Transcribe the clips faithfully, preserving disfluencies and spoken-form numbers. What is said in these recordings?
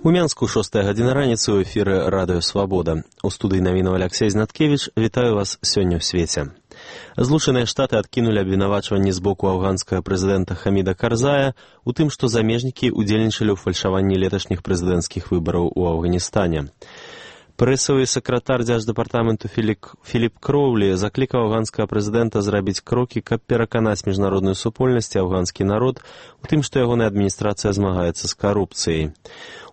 У Мянску шостая гадзіна раніцы ў эфіры радыё «Свабода». У студыі навінаў Аляксей Знаткевіч. Вітаю вас сёння ў свеце. Злучаныя Штаты адкінулі абвінавачванні з боку афганскага прэзідэнта Хаміда Карзая у тым, што замежнікі удзельнічалі ў фальшаванні леташніх прэзідэнцкіх выбараў у Афганістане. Прэсавы сакратар дзярждэпартаменту Філіп Кроўлі заклікаў афганскага прэзідэнта зрабіць крокі, каб пераканаць міжнародную супольнасць і афганскі народ у тым, што ягоная адміністрацыя змагаецца з карупцыяй.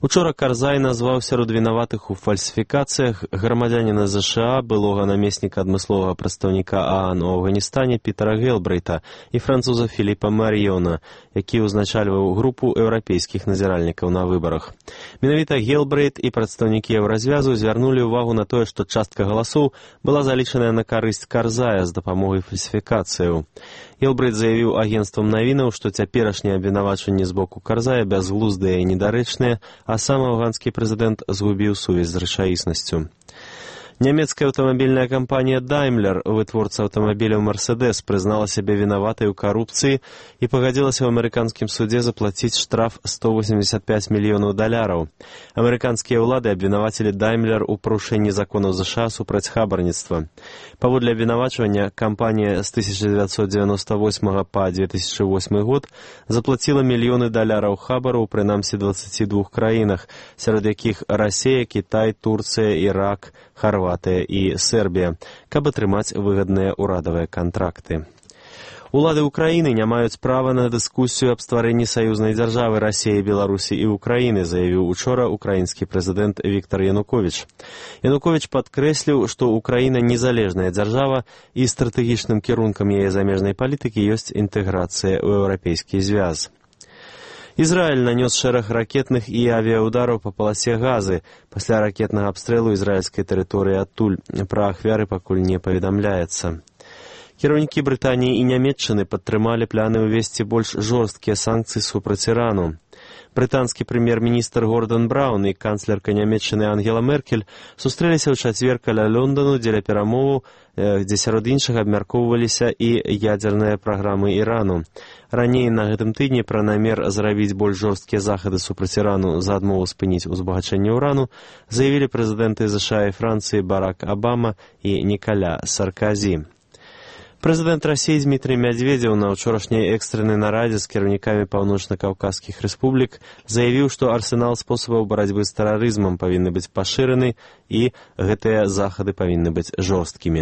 Учора Карзай назваў сярод вінаватых у фальсіфікацыях грамадзяніна ЗША, былога намесніка адмысловага прадстаўніка ААН у Афганістане Пітера Гелбрейта і француза Філіпа Мар'ёна, які ўзначальваў групу еўрапейскіх назіральнікаў на выбарах. Менавіта Гелбрейт і прадстаўнікі еўразвязу звярнулі ўвагу на тое, што частка галасоў была залічаная на карысць Карзая з дапамогай фальсіфікацыяў. Гелбрейт заявіў агенцтвам навінаў, што цяперашнія абвінавачванні з боку Карзая бязглуздыя і недарэчныя, а сам афганскі прэзідэнт згубіў сувязь з рэчаіснасцю. Нямецкая аўтамабільная кампанія Daimler, вытворца аўтамабіляў Mercedes, прызнала сябе вінаватай у карупцыі і пагадзілася ў амерыканскім судзе заплаціць штраф сто восемьдесят пять мільёнаў даляраў. Амерыканскія ўлады абвінавацілі Daimler у парушэнні законаў ЗША супраць хабарніцтва. Паводле абвінавачвання, кампанія з тысяча дзевяцьсот дзевяносто восьмага па две тысячы восьмы год заплаціла мільёны даляраў хабару ў прынамсі дваццаці двух краінах, сярод якіх Расія, Кітай, Турцыя, Ірак, Харватыя і Сербія, каб атрымаць выгадныя ўрадавыя кантракты. Улады Украіны не маюць права на дыскусію аб стварэнні саюзнай дзяржавы Расіі, Беларусі і Украіны, заявіў учора украінскі прэзідэнт Віктар Януковіч. Януковіч падкрэсліў, што Украіна незалежная дзяржава і стратэгічным кірункам яе замежнай палітыкі ёсць інтэграцыя ў еўрапейскі звяз. Ізраіль нанёс шэраг ракетных і авіяудараў па паласе Газы. Пасля ракетнага абстрэлу ізраільскай тэрыторыі адтуль. Пра ахвяры пакуль не паведамляецца. Кіраўнікі Брытаніі і Нямецчыны падтрымалі планы ўвесці больш жорсткія санкцыі супраць Ірану. Брытанскі прэм'ер-міністр Гордон Браўн і канцлерка Нямецчыны Ангела Меркель сустрэліся ў чацвер каля Лондану дзеля перамоваў, дзе сярод іншага абмяркоўваліся і ядзерныя праграмы Ірану. Раней на гэтым тыдні пра намер зрабіць больш жорсткія захады супраць Ірану за адмову спыніць узбагачэнне ўрану заявілі прэзідэнты ЗША і Францыі Барак Абама і Нікаля Сарказі. Прэзідэнт Расіі Дмітрый Мядзведзеў на ўчорашняй экстрэннай нарадзе з кіраўнікамі паўночна-каўказскіх рэспублік заявіў, што арсенал спосабаў барацьбы з тэрарызмам павінны быць пашыраны і гэтыя захады павінны быць жорсткімі.